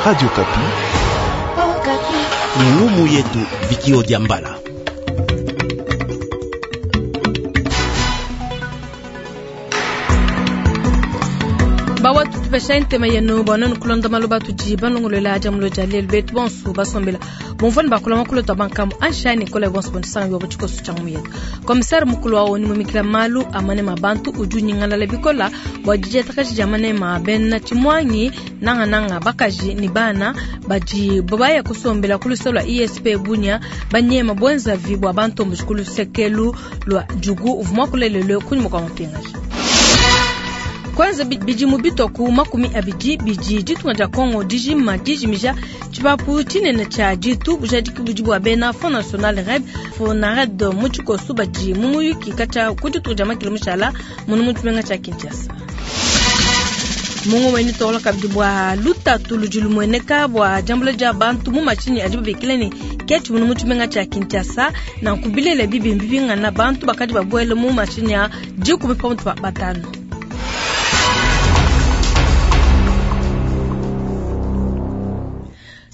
Radio Okapi. Ngumu yetu Vikio Diambala. Bawa tutupesha ntema yenu banonu kulonda maloba tudi balongolola dia mulo dia lelu betu bonso basombela bomvua ne bakula makulu tua bankamu anshani kola bonso bontisanga biobo tshikoso tshia ngumu yetu. Komisare mukulu wa ONU mumikila malu a manema a bantu udi unyingalala bikola bua didiatakaji dia manema a bena tshimuangi nangananga bakaji ne bana badi baya kusombela ku luse lua ISP Bunia banyema buenzavi bua bantomboji ku lusekelu lua Djugu uvua muakulelelue kunyima kua mapingaja. Kwanza bidimu bitua ku 20 bidi ditunga dia Congo dijima dijimija tshipapu tshinene tshia ditu bujadiki budi bua bena Front National Red Fonared mu tshikoso badi mu muyuki katshia ku dituku dia makilo mushala munu mu tshimenga tshia Kinshasa. Mungu mweni tola kabidi bua lutatu ludi lumueneka bua diambula dia bantu mu mashinyi adi babikila ne ketshi munu mu tshimenga tshia Kinshasa nanku bilele bibi mbibingana bantu bakadi babuele mu mashinyi a 10 pamutu pa 5.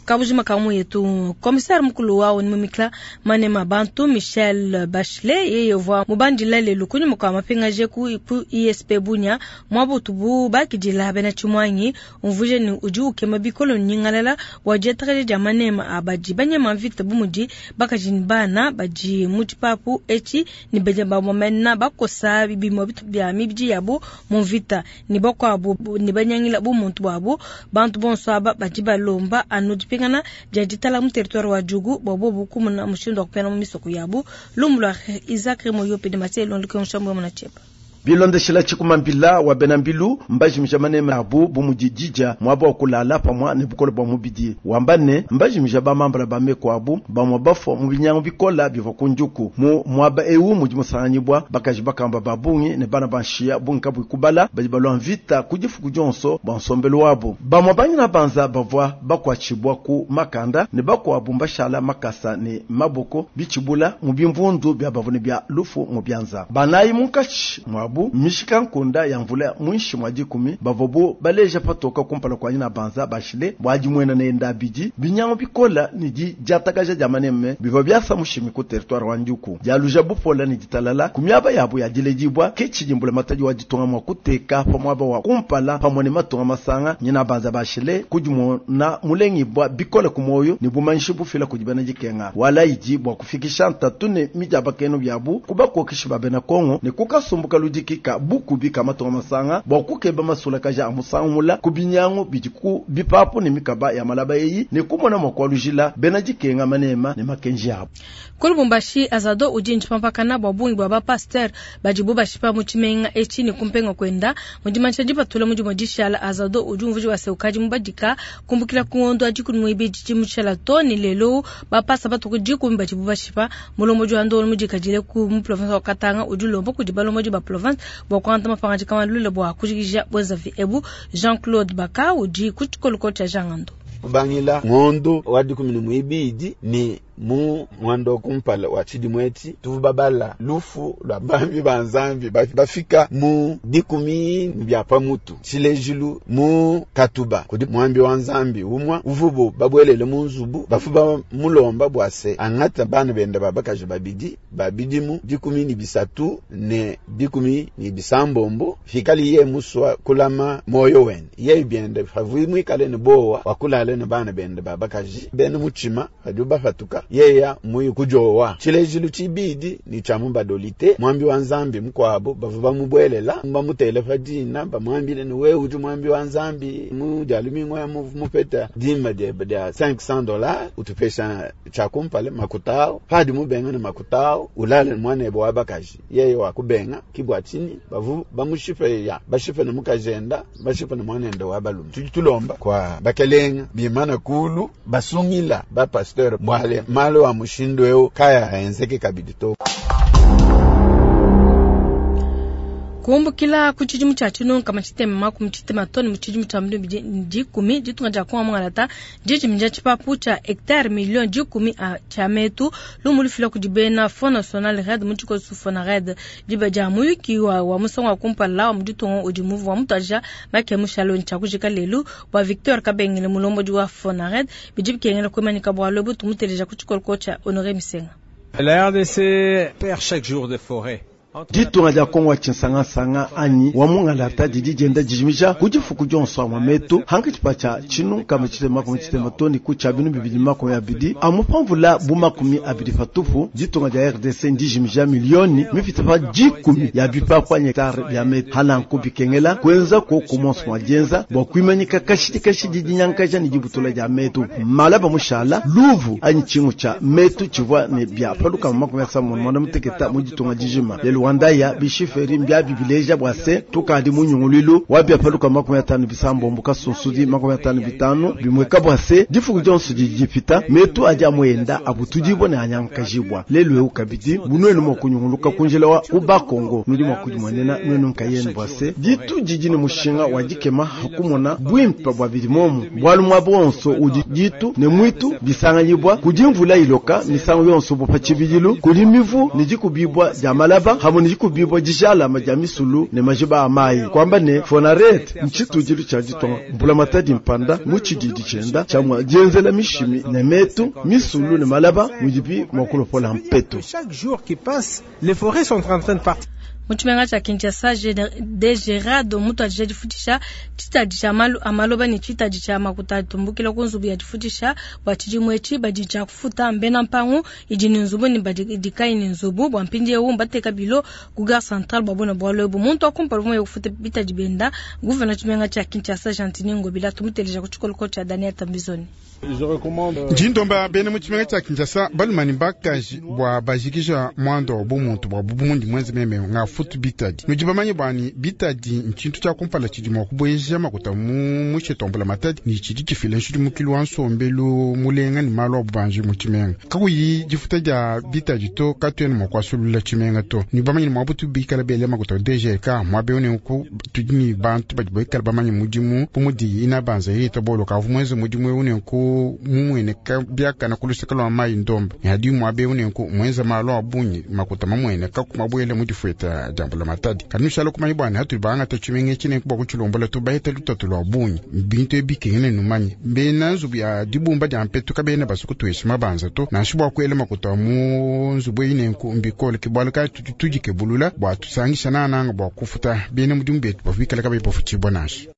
Kabujima ka yetu komisare mukulu wa ONU mumikila manema bantu Michel Bachelet yeye uvua mubandila lelu kunyima kua mapingaje ku ISP Bunia mwabutu bu bakidila bena tshimuangi umvuje ni udi ukema bikolo nyingalala bua diatakaja dia manema abadi banyema mvita bumudi bakaji ni bana badi mu tshipapu etshi ni beja bamomena bakosa bibimo bitu bia mibidi yabo mu mvita ni bakuabu ni banyangila bu muntu bwabo bantu bonso aba badi balomba anu dipingana dia ditala mu territoire wa Djugu bwa bobu kumuna mushindu wa kupena mu misoko yabo lumbu lwa Isaac Remoyo pe de Mathieu Londuke Nshambo mona chepa. Bilondeshela tshikumambila wa benambilu mbajimija manema abu bumudidija mwaba wa kulala pamwa ne bukole bwa mubidi wamba ne mbajimija bamambala ba meko abu bamwa bafwa mu binyangu bikola bivwa ku njuku mu mwaba ewu mudi musanganyibwa bakaji bakamba babungi ne bana banshiya bungi kabui kubala badi balwa mvita ku difuku dionso bwa nsombelu wabu bamwa banyina banza bavwa bakwatshibwa ku makanda ne bakuabu mbashala makasa ne maboko bitshibula mu bimvundu bya bavune bya lufu mu byanza banayi munkatshi mwabu mishika nkunda ya mvula mwinshi mwa 10 bavobo baleja patoka kumpala kwa nyina banza bashile bwaji mwena ne ndabidi binyango bikola ni di diatakaja dia maneme bivwa byasa mushimi ku territoire wa Njuku dialuja bupola ni ditalala kumyaba yabo ya diledibwa ke chidimbula mataji wa ditonga mwa kuteka pamwaba wa kumpala pamwe ne matonga masanga nyina banza bashile kujimona mulengi bwa bikola kumoyo ni bumanyishi bufila kujibana dikenga wala idi bwa kufikisha ntatu ne mijaba keno byabu kubakokishi babena Kongo ne kukasumbuka ludiki ka bukubi kama matonga masanga bwa kukeba masula kaja amusangula kubinyango bidiku bipapu ne mikaba ya malaba eyi ne kumona mwakwalujila bena dikenga manema ne makenji abo. Ku Lubumbashi azado udi ntshipampakana bwa bungi bwa ba pasteur badibu bashipa mu tshimenga etshi ne kumpenga kwenda mudimansha dipatula mudimo dishala azado udi umvuji wa seukadi mubadika kumbukila ku ngondo adi kuni muibidi tshimushala to ni lelo ba pasa batuku 10 badibu bashipa mulombo wa ndolo mudikadile ku mu province wa Katanga udi lombo kudi balombo ba province bwa kuanta mapanga kama lule bwa kujikija bwezavi ebu Jean-Claude Baka udi ku tshikoloko tsha Jangando. Kubangila ngondo wa 12 ni mu mwando kumpala wa tshidimweti tuvubabala lufu lwa bambi ba nzambi bafika mu 10 bya pamutu tshilejilu mu katuba kudi mwambi wa nzambi umwa uvubu babwelele mu nzubu bafuba mulomba bwase angata bana benda babakaji babidi babidimu 13 ne 16 fikali ye muswa kulama moyo wene ye byende favui mwikale ne bowa wakulale ne bana benda babakaji bene muchima hadi bafatuka yeya muyi kujowa tshilejilu tshibidi ni tshia mubadolite mwambi wa nzambi mukwabo bavu bamubwelela bamutele pa dina bamwambile ni wewe udi mwambi wa nzambi mu dia lumingu ya mupeta dima dia $500 utupesha tshia kumpala makutao padi mubenga ne makutao ulale mwanebe wa bakaji yeye wa kubenga kibwa chini bavu bamushipe ya bashipe ne mukajenda bashipe ne mwanende wa balume tudi tulomba kwa bakelenga bimana kulu basungila ba pasteur mwale malo wa mushindo eo kaya aenzeke kabidi to. Kumbukila ku tshidimu tshia 1960 too ne mu tshidimu tshia 2010, ditunga dia Kongo mungalata ndijimija tshipapu tshia hectare 10,000,000 tshia metu. Lumu lufila kudi bena Fonds National Red mu tshikoso Fonared diba dia muyuki wa, wa musangu wa kumpala wa mu ditunga udi muvu wa mutuadija make mushale tshia kujika lelu bua Victor Kabengele mulombodi wa Fonared bidi bikengela kuimanyika bualu ebu tumuteleja ku tshikoloko tshia Honore Misenga. La RDC perd chaque jour des forêts. Ditunga dia Kongo wa tshinsangasanga anyi wa mungalata didi dienda dijimija ku difuku dionso amwa metu hankatshi tshia 1660 too ne ku tshia 2020 amupamvula bu 20 patupu. Ditunga dia RDC ndijimija milioni mipite pa 10 ya bipapu anyi hectare bia metu hananku bikengela kuenza ko kumonso mwa dienza bua kuimanyika kashidi kashidi dinyankaja ne dibutula dia metu malaba mushala luvu anyi tshingu tshia metu tshivua ne bia paluka 98 mu ditunga dijima lelu wandaya bishiferi mbya bibileja bua se tukadi munyunguluilu wa bia paluka 57 kasunsudi 55 bimweka bua se difuku dionso didi dipita metu adi amuenda abutudibwa ne anyankajibwa lelu eu kabidi bunuenu mua kunyunguluka kunjila wa kubakongo nudi mua kudimuenena nuenu nkayenu bua se ditu didi ne mushinga wa dikema hakumona bwimpa bua bidimomu bwalu mwa bonso udi ditu ne mwitu bisanganyibwa kudi mvula iloka misango yonso bupa tshibidilu kudi mivu ne dikubibwa dia malaba hamwe ne dikubibwa dijalama dia misulu ne majiba a mayi kwamba ne Fonared ntshitudilu tshia ditonga mbula matadi mpanda mu tshididi tshienda tshiamua dienzela mishimi ne metu misulu ne malaba mudibi mua kulopola mpetu. Chaque jour qui passe, les forêts sont en train de partir. Mu tshimenga tshia Kinshasa, DGRAD mutuadija difutisha tshitadi tshia malu a maloba ne tshitadi tshia makuta atumbukila ku nzubu ya difutisha bua tshidimu etshi badi tshia kufuta mbena mpangu idi ne nzubu ne badi dikayi ne nzubu bua mpindiewu mbateka bilo ku gare centrale bua buena bualu ebu. Muntu wa kumpala uvua kufuta bitadi bienda gouverneur tshimenga tshia Kinshasa Gentiny Ngobila tumuteleja ku tshikoloko tshia Daniel Tambizoni. Njindomba bena mu tshimenga tshia Kinshasa balumani bakaji bua bajikija mwando wa bumuntu bua bumundi mwenze meme ngafutu bitadi. Nudi bamanye bwani bitadi ntshintu tshia kumpala tshidi mua kubueja makuta mu mushetombola matadi ni tshidi tshifila nshidimukilu wa nsombelu mulenga ni malu a bubanji mu tshimenga. Kakuyi difuta dia bitadi to katuena mua kuasulula tshimenga to. Ni bamanye ni mwabutu bikala bele makuta DGK mwabe ne ku tudi ni bantu badi bikala bamanye mudimu bumudi ina banza yita bolo kavu mwenze mudimu une ku mumwene biakana kuluseka lwa mayi ndomba ni hadi mwabe une ku mwenza malu a bunyi makuta mamwene kakumabwele mudifueta jambula matadi. Kanushala kumanyi bwana hatu banga tachimenga chine kuba kuchilombola tubaita lutatu lwa bunyi bintu ebikengene numanyi bena nzubu ya dibumba dia mpetu kabena basuku tuesha mabanza to nanshi bwa kwela makuta mu nzubu ine ku mbikole kibwala ka tujike bulula bwa tusangisha nananga bwa kufuta bena mudimu betu bafikala kabe bafuchibwa nanshi.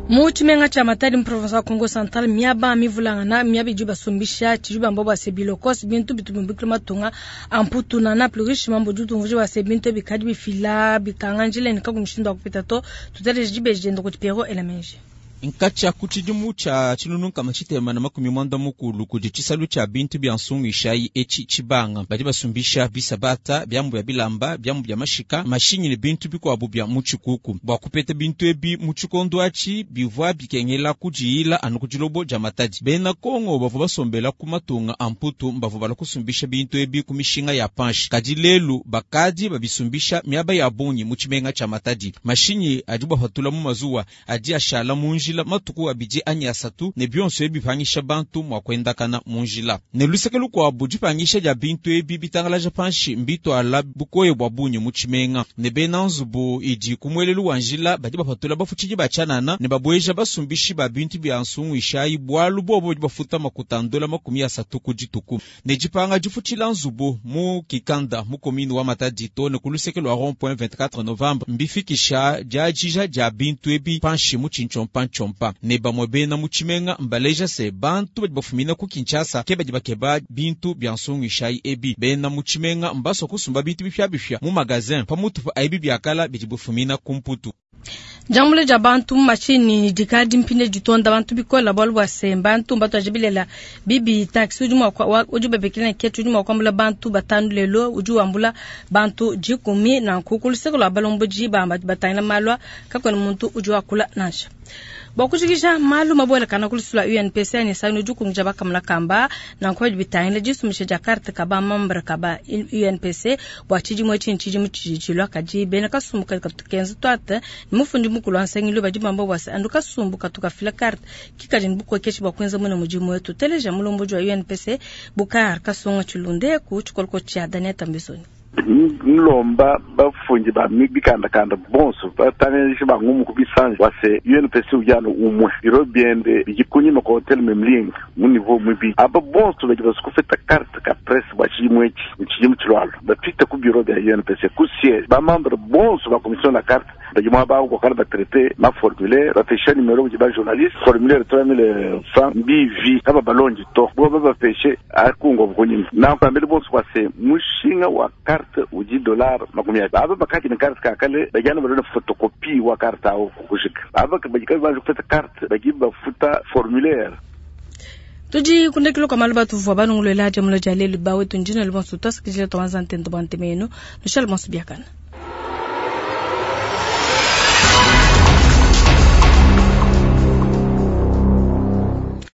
Mu tshimenga tshia Matadi mu province wa Kongo Central miaba mivulangana miaba idi basumbisha tshidi bamba bua se bilokos bintu bitubumbikila matunga amputuna na plurish mambo dutu mvuje bua se bintu bikadi bifila bikanga njila ne kaku mushindu wa kupita to tuteleje dibeji dienda kudi Pierrot Elamenji. Nkatsha ku tshidimu tshia 1990 kudi tshisalu tshia bintu bia nsungu ishayi etshi tshibanga badi basumbisha bisabata byambu bya bilamba byambu bya mashika mashinyi ne bintu bikuabu bya mu tshikuku bua kupeta bintu ebi mu tshikondo atshi bivua bikengela kudiyila anu ku dilobo dia matadi. Bena Kongo bavua basombela ku matunga a mputu bavua bala kusumbisha bintu ebi ku mishinga ya panshi kadi lelu bakadi babisumbisha miaba ya bungi mu tshimenga tshia Matadi. Mashinyi adi bapatula mu mazuwa adi ashala mu njila matuku abidi anyi asatu ne bionso ebi bipangisha bantu mua kuendakana mu njila. Ne luseke lukuabu dipangisha dia bintu ebi bitangalaja panshi mbitwala bukoye bua bungi mu tshimenga ne bena nzubu idi ku muelelu wa njila badi bapatula bafutshidi ba tshianana ne babueja basumbishi ba bintu bia nsungu ishayi bualu bobo badi bafuta makuta ndola 30 ku dituku. Ne dipanga difutshila nzubu mu kikanda mu komini wa Matadi to ne ku luseke lwa rond point 24 novembre mbifikisha diadija dia bintu ebi panshi mu tshintshompa ne bamwe bena mu tshimenga mbaleja se bantu badi bafumina ku Kinshasa ke badi bakeba bintu bia nsungu ishayi ebi. Bena mu tshimenga mbasua kusumba bintu bipyabipya mu magazin pamutu pa ebi biakala bidi bifumina ku mputu. Jambule dia bantu mu mashini dikadi mpinde ditonda bantu bikola bualu bua se bantu mbatuaje bilela bibi taxi udi mua udi bebekela ne ketu udi mua kuambula bantu 5 lelo udi wambula bantu 10 na nkuku luseke lwa balombodi bamba batangila malwa kakwena muntu udi wakula nansha. Bua kujikija malu mabuelakana ku lusu lua UNPC anyi nsangilu udi ukungija bakamuna kamba nanku badi bitangila disumbisha dia carte ka ba membre ka ba UNPC bua tshidimu etshi ne tshidimu tshidi tshilua. Kadi bena kasumbu kadi katu kenza tuate ne mufundi mukulu wa nsangilu badi bamba bua se anu kasumbu katu kafila carte ki kadi ne bukokeshi bua kuenza muine mudimu wetu. Teleja mulombodi wa UNPC Bukar Kasonga Tshilunde ku tshikoloko tshia Daniel Tambizoni. Nlomba bafundi ba bikandakanda bonso batangishi ba ngumu ku bisanji bua se UNPC udi anu umue biro biende bidi kunyima kua hotel Memling mu niveau muibidi. Aba bonso badi basue kufeta carte ka presse bua tshidimu etshi ne tshidimu tshilualua bapite ku bureau bia UNPC ku siège. Ba membre bonso ba commission la carte badi muaba awu kuakala ba traiter ma formulaire bapesha numero kudi ba journaliste formulaire 3000 francs mbivi kaba balondi to bo babapeshe akungwa kunyima nanku ambele bonso bua se mushinga wa carte udi dollar 20. Aba bakadi ne carte kakale badi anu balona photocopie wa carte awu kujika. Aba badi kabayi banji kupeta carte badi bafuta formulaire. Tudi kundekelo kwa malu batuvua banunguluela dia mulo dia lelu bawetu ndina lumonso tuasakidila tuanza ntendo bua ntema yenu nushale bonso biakana.